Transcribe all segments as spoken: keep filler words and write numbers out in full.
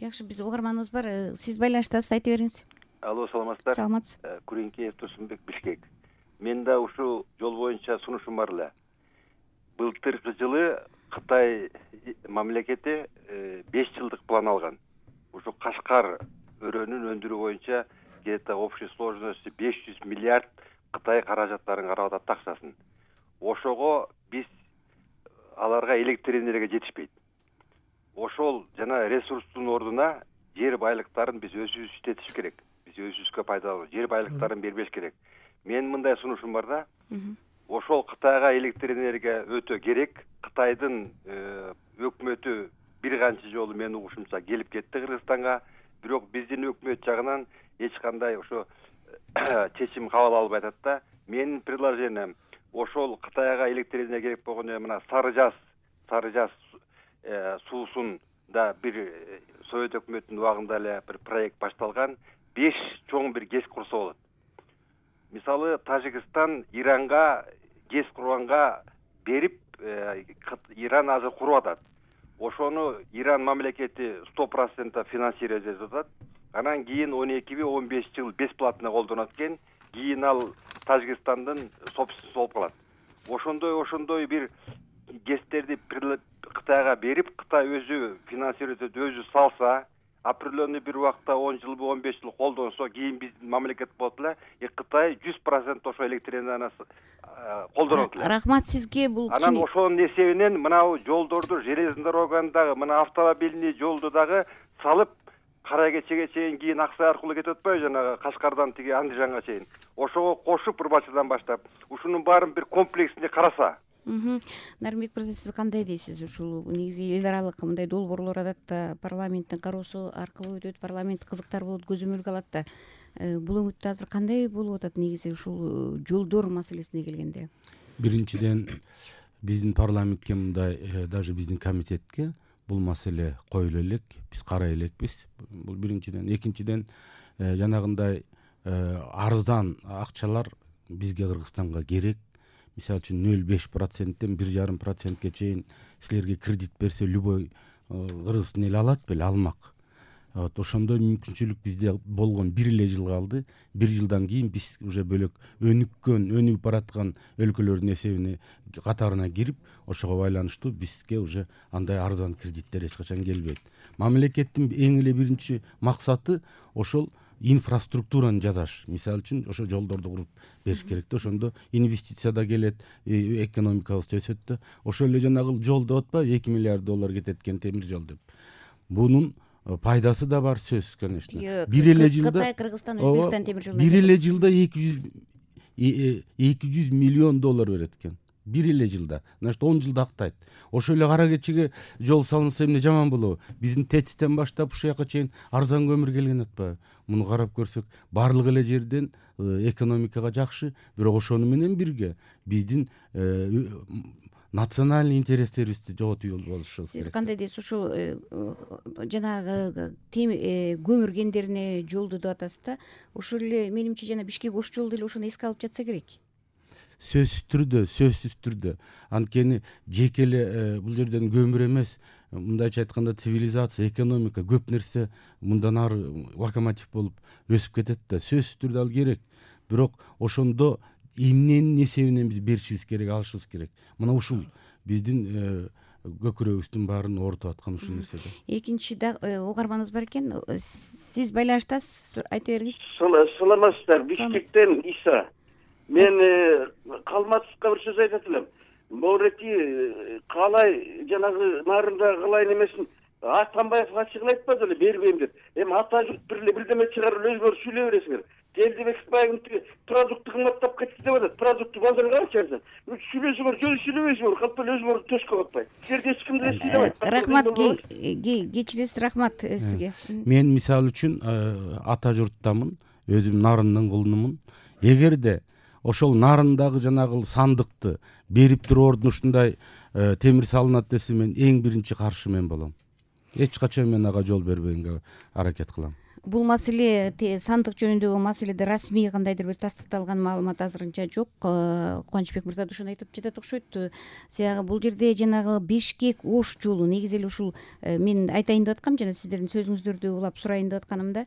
Жакшы, биз угарманыбыз бар. Сиз байланыштасыз, айта бериңиз. Алло, саламатсыздар. Саламатсыз. Күреңкеев Турсунбек, Бишкек. Мен да ушул жол боюнча сунушум бар эле. Былтыркы жылы Кытай мамлекети беш жылдык план алган. Ушу Кашкар өрөөнүн өндүрүү боюнча где-то общей сложности беш жүз миллиард Кытай каражаттарын карап атат акчасын. Ошого биз аларга электр энергия жетишпейт. Ошол жана ресурстун ордуна жер байлыктарын биз өзүбүз иштетиш керек. Биз өзүбүзгө пайдалуу жер байлыктарын бербеш керек. Мен мындай сунушум бар да. Ошол Кытайга электр энергия өтө керек. Кытайдын өкмөтү бир канча жолу мен угушумча келип кетти Кыргызстанга. Бирок биздин өкмөт жагынан эч кандай ошо чечим кабыл албай атат да. Менин предложением ошол Кытайга электр энергия керек болгондо мына Сары Жаз, Сары Жаз суусунда бир Совет өкмөтүнүн убагында эле бир проект башталган. беш чоң бир ГЭС курса болот. Мисалы Тажикстан Иранга ГЭС курганга берип, Иран азыр куруп атат. Ошону Иран мамлекети сто процент финансировать этип атат. Анан кийин он эки он беш жыл бесплатно колдонот экен. Кийин ал Тажикстандын собственности болуп калат. Ошондой ошондой бир ГЭСтерди Кытайга берип, Кытай өзү финансировать этип өзү салса, определенный бир убакта он жылбы он беш жыл колдонсо, кийин биздин мамлекет болот эле, Кытай жүз процент ошо электр энергияны колдонот эле. Рахмат сизге. Бул анан ошонун эсебинен мынау жолдорду, железный дороганы дагы, мына автомобильный жолду дагы салып, Кара Кечеге чейин, кийин Аксай аркылуу кетип атпайбы, жанагы Кашкардан тиги Андижанга чейин. Ошого кошуп Урбачыдан баштап, ушунун баарын бир комплексинде караса. Нарымбек мырза, сиз кандай дейсиз? Ушул негизи эл аралык мындай долбоорлор атат да, парламенттин кароосу аркылуу өтөт, парламент кызыктар болот, көзөмөлгө алат да. Бул өңүттө азыр кандай болуп атат негизи ушул жолдор маселесине келгенде? Биринчиден, биздин парламентке мындай, даже биздин комитетке бул маселе коюла элек, биз карай элекпиз. Бул биринчиден. Экинчиден, жанагындай арзан акчалар бизге Кыргызстанга керек. Мисалы үчүн нөл беш проценттен бир жарым процентке чейин силерге кредит берсе, любой кыргыздын эли алат беле, алмак. Вот ошондой мүмкүнчүлүк бизде болгон бир эле жыл калды. Бир жылдан кийин биз уже бөлөк өнүккөн, өнүгүп бараткан өлкөлөрдүн эсебине катарына кирип, ошого байланыштуу бизге уже андай арзан кредиттер эч качан келбейт. Мамлекеттин эң эле биринчи максаты ошол инфраструктураны жасаш. Мисалы үчүн ошо жолдорду куруп бериш керек да, ошондо инвестиция да келет, экономикабыз өсөт да. Ошол эле жанагы жол деп атпайбы, эки миллиард доллар кетет экен темир жол деп. Бунун пайдасы да бар сөзсүз, конечно. Бир эле жылда Кытай, Кыргызстан, Өзбекстан темир жолу. Бир эле жылда эки жүз миллион доллар берет экен. Бир эле жылда. Значит, он жылда актайт. Ошол эле Кара Кечеге жол салынса эмне жаман болобу? Биздин ТЭЦтен баштап ушул жака чейин арзан көмүр келген атпайбы? Муну карап көрсөк, барлык эле жерден экономикага жакшы, бирок ошону менен бирге биздин национальный интерестерибизди жоготуп болушубуз керек. Сиз кандай дейсиз? Ушул жанагы көмүр кендерине жолду деп атасыз да. Ошол эле менимче жана Бишкек Ош жолу деле ошону эске алып жатса керек. Сөзсүз түрдө, сөзсүз түрдө. Анткени жеке эле бул жерден көмүр эмес, мындайча айтканда цивилизация, экономика, көп нерсе мындан ары локомотив болуп өсүп кетет да. Сөзсүз түрдө ал керек. Бирок ошондо эмненин эсебинен биз беришибиз керек, алышыбыз керек. Мына ушул биздин көкүрөгүбүздүн баарын оорутуп аткан ушул нерсе да. Экинчи да угарманыбыз бар экен. Сиз байланыштасыз, айта бериңиз. Саламатсыздар, Бишкектен Иса. Мен Калматовго бир сөз айтат элем. Могурети калай жанагы нарында калайын эмесин Атамбаев ачык эле айтпады эле, бербейм деп. Эми ата журт бир эле бирдеме чыгарып өзүңөр сүйлөй бересиңер. Келдибекбаевдин продукты кымбаттап кетти деп атат. Продукты базарга чыгарса, сүйлөсөңөр, жөн сүйлөбөйсүңөр, калп эле өзүңөр төскө катпай. Жерде эч ким деле сүйлөбөйт. Рахмат, кечиресиз, рахмат сизге. Мен мисалы үчүн ата журттамын, өзүм нарындын кулунумун. Эгерде ошол нарындагы жанагы сандыкты берип туруу ордуна ушундай темир салынат десе, мен эң биринчи каршы мен болом. Эч качан мен ага жол бербегенге аракет кылам. бул маселе сандык жөнүндөгү маселеде расмий кандайдыр бир тастыкталган маалымат азырынча жок. Кубанычбек мырза да ошону айтып жатат окшойт. Сага бул жерде жанагы Бишкек Ош жолу негизи эле ушул мен айтайын деп аткам, жана сиздердин сөзүңүздөрдү улап сурайын деп атканымда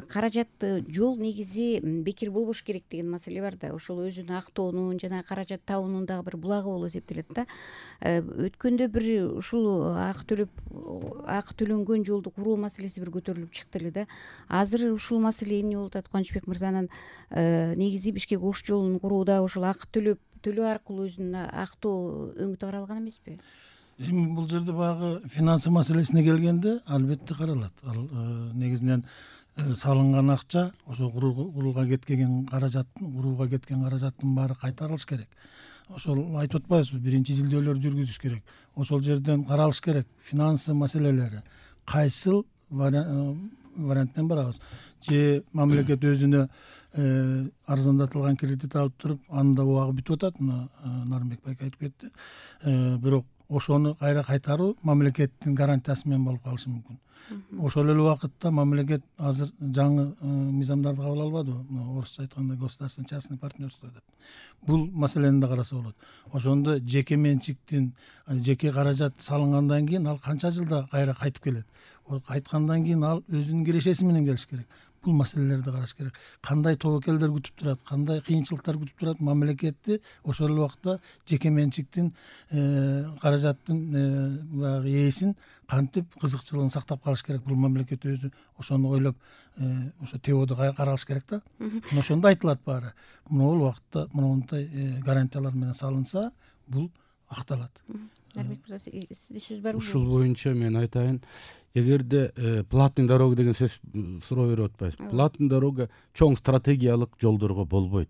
каражатты жол негизи бекер болбош керек деген маселе бар да. Ошол өзүн актоонун жана каражат табуунун дагы бир булагы болуп эсептелет да. Өткөндө бир ушул акы төлөп акы төлөнгөн жолду куруу маселеси бир көтөрүлүп чыкты эле да. Азыр ушул маселе эмне болуп атат? Кубанычбек мырзанын негизи Бишкек Ош жолун курууда ушул акы төлөп төлөө аркылуу өзүнүн актоо өңүтү каралган эмеспи? Эми бул жерде баягы финансы маселесине келгенде албетте каралат. Ал негизинен салынган акча ошо курууга кеткен каражаттын курууга кеткен каражаттын баары кайтарылыш керек. Ошол айтып атпайбызбы, биринчи изилдөөлөр жүргүзүш керек. Ошол жерден каралыш керек финансы маселелери кайсыл вариант менен барабыз. Же мамлекет өзүнө арзандатылган кредит алып туруп, анда убагы бүтүп атат, Нарымбек байке айтып кетти. Бирок ошону кайра кайтаруу мамлекеттин гарантиясы менен болуп калышы мүмкүн. Ошол эле убакытта мамлекет азыр жаңы мыйзамдарды кабыл албадыбы? Орусча айтканда государственный частный партнерство деп. Бул маселени да караса болот. Ошондо жеке менчиктин жеке каражат салынгандан кийин ал канча жылда кайра кайтып келет? Кайткандан кийин ал өзүнүн кирешеси менен келиш керек. Бул маселелерди караш керек. Кандай тобокелдер күтүп турат, кандай кыйынчылыктар күтүп турат мамлекетти ошол эле убакта жеке менчиктин каражаттын баягы ээсин кантип кызыкчылыгын сактап калыш керек. Бул мамлекет өзү ошону ойлоп ошо тебоодо каралыш керек да. Ошондо айтылат баары. Могул убакытта мондай гарантиялар менен салынса, бул акталат. Нарымбек мырза, сизде сөз барбы? Ушул боюнча мен айтайын, эгерде платный дорога деген сөз суроо берип атпайсызбы? Платный дорога чоң стратегиялык жолдорго болбойт.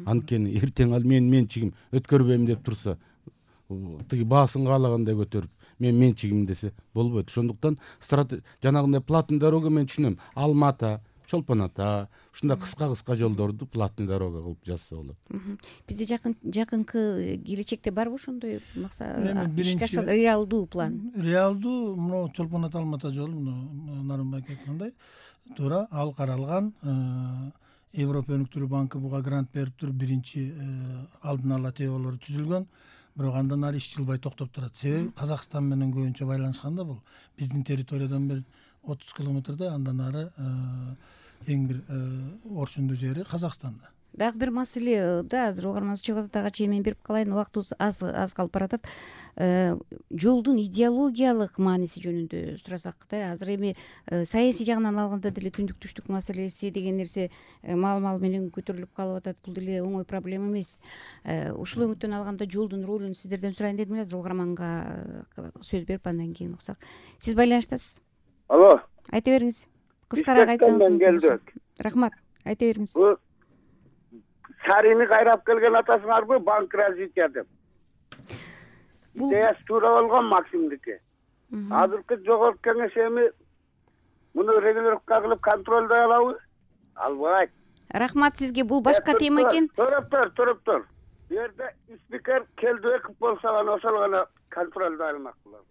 Анткени эртең ал менин менчигим өткөрбөйм деп турса, тиги баасын каалагандай көтөрүп, мен менчигим десе болбойт. Ошондуктан жанагындай платный дорога мен түшүнөм. Алмата, Чолпон Ата, ушундай кыска-кыска жолдорду платный дорога кылып жазса болот. Бизде жакын жакынкы келечекте барбы ошондой максат? Реалдуу план. Реалдуу мына Чолпон Ата Алмата жолу, Нарымбек айткандай, туура ал каралган. Европа өнүктүрүү банкы буга грант берип туруп биринчи алдын ала теболор түзүлгөн. Бирок андан ары иш жылбай токтоп турат. Себеби Казакстан менен көбүнчө байланышканда бул. Биздин территориядан бир отуз километрде, андан ары эң бир орчундуу жери Казакстанда. Дагы бир маселе да, азыр угарманыбыз чыгып атат, ага чейин мен берип калайын, убактыбыз аз аз калып баратат. Жолдун идеологиялык мааниси жөнүндө сурасак да, азыр эми саясий жагынан алганда деле түндүк түштүк маселеси деген нерсе маал-маал менен көтөрүлүп калып атат. Бул деле оңой проблема эмес. Ушул өңүттөн алганда жолдун ролун сиздерден сурайын дедим эле, азыр угарманга сөз берип андан кийин уксак. Сиз байланыштасыз? Алло. Айта бериңиз. Кыскараак айтсаңыз мүмкүн. Рахмат. Айта бериңиз. Сарыны кайрап келген атасыңарбы, банк развития деп. Идеясы туура болгон Максимдики. Азыркы жогорку кеңеш эми муну регулировка кылып контролдой алабы? Албайт. Рахмат сизге. Бул башка тема экен. Туруп тур, туруп тур. Бу жерде спикер Келдибеков болсо гана ошол гана контролдой алмак болот.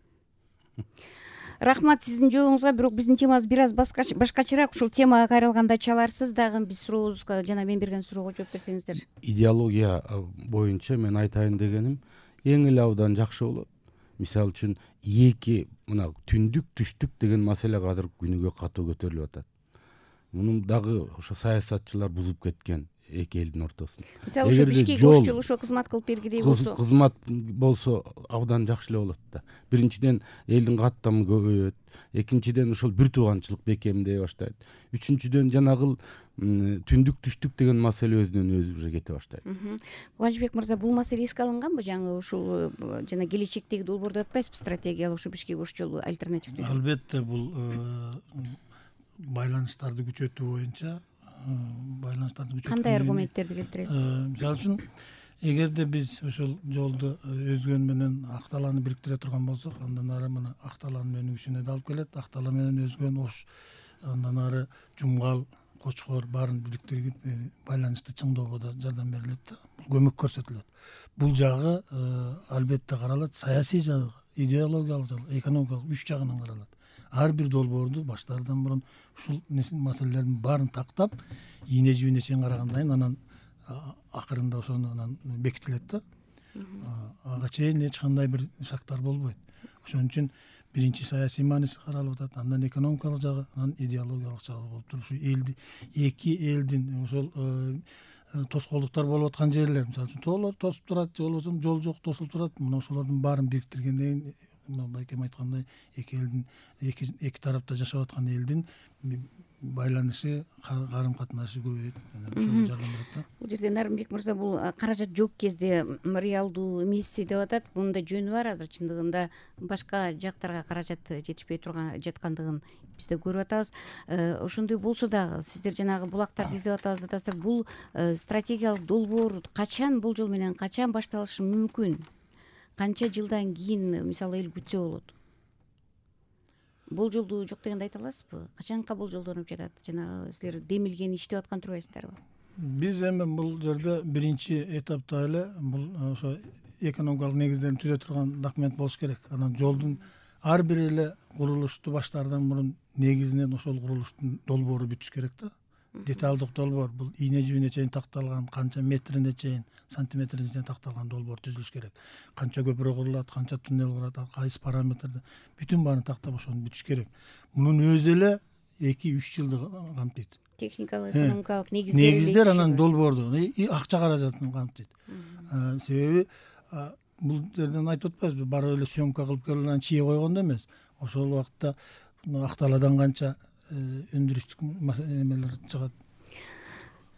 Рахмат сиздин жообуңузга. Бирок биздин темабыз бир аз башкачараак. Ушул темага кайрылганда чаларсыз дагы биз сурообузга жана мен берген суроого жооп берсеңиздер. Идеология боюнча мен айтайын дегеним, эң эле абдан жакшы болот. Мисалы үчүн эки мына түндүк түштүк деген маселе азыр күнүгө катуу көтөрүлүп атат. Муну дагы ошо саясатчылар бузуп кеткен эки элдин ортосунда. Мисалы ошо Бишкек Ош жолу ошо кызмат кылып бергидей болсо, кызмат болсо абдан жакшы эле болот да. Биринчиден элдин каттамы көбөйөт, экинчиден ошол бир тууганчылык бекемдей баштайт. Үчүнчүдөн жанагыл түндүк түштүк деген маселе өзүнөн өзү уже кете баштайт. Кубанычбек мырза, бул маселе эске алынганбы? Жаңы ушул жана келечектеги долбоорду атпайсызбы, стратегиялык ошо Бишкек Ош жолу альтернативдүү? Албетте бул байланыштарды күчөтүү боюнча байланыштарды күчөтүү. Кандай аргументтерди келтиресиз? Мисалы үчүн, эгерде биз ушул жолду өзгөн менен Акталаны бириктире турган болсок, андан ары мына Акталанын өнүгүшүнө да алып келет. Актала менен өзгөн Ош, андан ары Жумгал, Кочкор баарын бириктирип байланышты чыңдоого да жардам берилет да, көмөк көрсөтүлөт. Бул жагы албетте каралат, саясий жагы, идеологиялык жагы, экономикалык үч жагынан каралат. ар бир долбоорду баштаардан мурун ушул маселелердин баарын тактап ийне жибине чейин карагандан анан акырында ошону анан бекитилет да. Ага чейин эч кандай бир шактар болбойт. Ошон үчүн биринчи саясий мааниси каралып атат, андан экономикалык жагы, анан идеологиялык жагы болуп туруп ушу элди эки элдин ошол тоскоолдуктар болуп аткан жерлер, мисалы үчүн тоолор тосуп турат, же болбосо жол жок тосулуп турат. Мына ошолордун баарын бириктиргенден кийин мына байкем айткандай эки элдин эки эки тарапта жашап аткан элдин байланышы, карым катнашы көбөйөт. Ошого жардам берет да. Бул жерде Нарымбек мырза, бул каражат жок кезде реалдуу эмес деп атат. Бунун да жөнү бар. Азыр чындыгында башка жактарга каражат жетишпей турган жаткандыгын биз да көрүп атабыз. Ошондой болсо дагы сиздер жанагы булактарды издеп атабыз деп атасыздар. Бул стратегиялык долбоор качан, бул жол менен качан башталышы мүмкүн? Канча жылдан кийин мисалы эл күтсө болот? Болжолдуу жок дегенди айта аласызбы? Качанка болжолдонуп жатат? Жанагы силер демилген иштеп аткан турбайсыздарбы? Биз эми бул жерде биринчи этапта эле бул ошо экономикалык негиздерин түзө турган документ болуш керек. Анан жолдун ар бир эле курулушту баштаардан мурун негизинен ошол курулуштун долбоору бүтүш керек да. Деталдык долбоор, бул ийне жибине чейин такталган, канча метрине чейин, сантиметрине чейин такталган долбоор түзүлүш керек. Канча көпүрө курулат, канча туннел курат, кайсы параметрде, бүтүн баарын тактап ошону бүтүш керек. Мунун өзү эле эки үч жылды камтыйт. Техникалык, экономикалык негиздер. Негиздер анан долбоорду, акча каражатын камтыйт. Себеби бул жерден айтып атпайбызбы, барып эле съемка кылып келип анан чие койгондо эмес. Ошол убакытта Актааладан канча өндүрүштүк эмелер чыгат.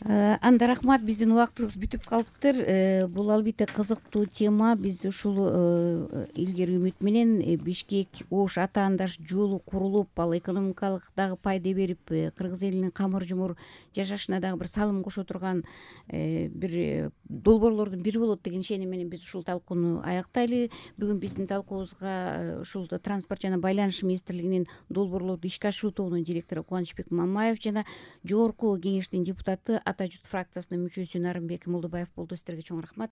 Анда рахмат, биздин убактыбыз бүтүп калыптыр. Бул албетте кызыктуу тема. Биз ушул илгери үмүт менен Бишкек Ош атаандаш жолу курулуп, ал экономикалык дагы пайда берип, кыргыз элинин камыр жумур жашашына дагы бир салым кошо турган бир долбоорлордун бири болот деген ишеним менен биз ушул талкууну аяктайлы. Бүгүн биздин талкуубузга ушул транспорт жана байланыш министрлигинин долбоорлорду ишке ашыруу тобунун директору Кубанычбек Мамаев жана жогорку кеңештин депутаты Ата журт фракциясынын мүчөсү Нарымбек Молдобаев болду. Сиздерге чоң рахмат.